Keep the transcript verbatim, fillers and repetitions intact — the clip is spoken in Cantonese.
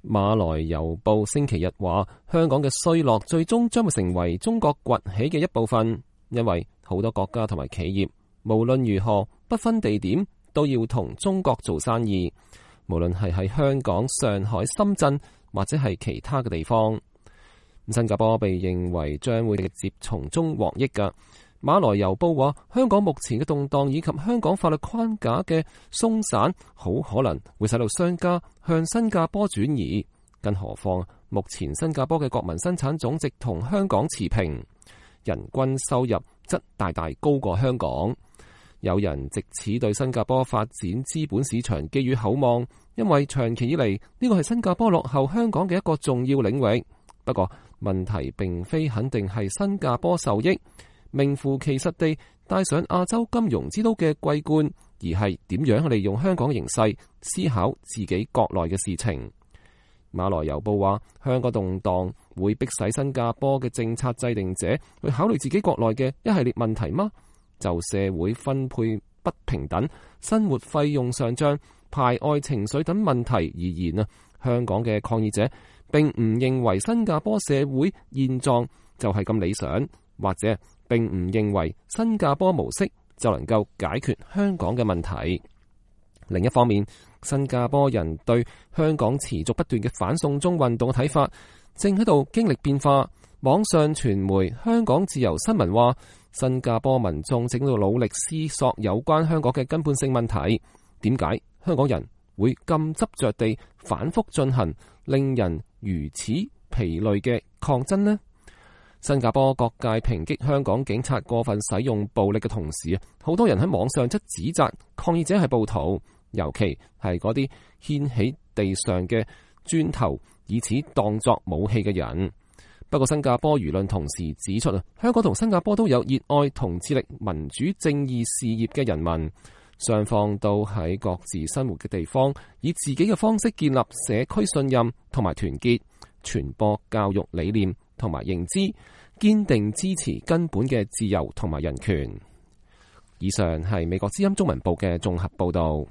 馬來郵報星期日話，香港嘅衰落最終將會成為中國崛起嘅一部分，因為好多國家同埋企業無論如何不分地點都要同中國做生意，無論係喺香港、上海、深圳或者係其他嘅地方。新加坡被認為將會直接從中獲益㗎。馬來郵報話，香港目前嘅動盪以及香港法律框架嘅鬆散，好可能會使到商家向新加坡轉移。更何況目前新加坡嘅國民生產總值同香港持平，人均收入則大大高過香港。有人藉此對新加坡發展資本市場寄予厚望，因為長期以嚟呢個係新加坡落後香港嘅一個重要領域。不過問題並非肯定係新加坡受益，名副其實地帶上亞洲金融之都嘅桂冠，而係點樣利用香港嘅形勢思考自己國內嘅事情。馬來郵報話，香港動盪會迫使新加坡嘅政策制定者去考慮自己國內嘅一系列問題嗎？就社會分配不平等、生活費用上漲、排外情緒等問題而言啊，香港嘅抗議者並唔認為新加坡社會現狀就係咁理想，或者並唔認為新加坡模式就能夠解決香港嘅問題。另一方面，新加坡人對香港持續不斷嘅反送中運動嘅睇法正喺度經歷變化。網上傳媒香港自由新聞話，新加坡民眾正喺度努力思索有關香港嘅根本性問題，點解香港人會咁執着地反覆進行令人如此疲累嘅抗爭呢？新加坡各界抨擊香港警察過分使用暴力嘅同時，好多人喺網上則指責抗議者係暴徒，尤其係嗰啲掀起地上嘅磚頭以此當作武器嘅人。不過新加坡輿論同時指出，香港同新加坡都有熱愛同致力民主正義事業嘅人民，雙方都喺各自生活嘅地方以自己嘅方式建立社區信任同埋團結，傳播教育理念同埋認知，堅定支持根本嘅自由同埋人權。以上係美國之音中文部嘅綜合報道。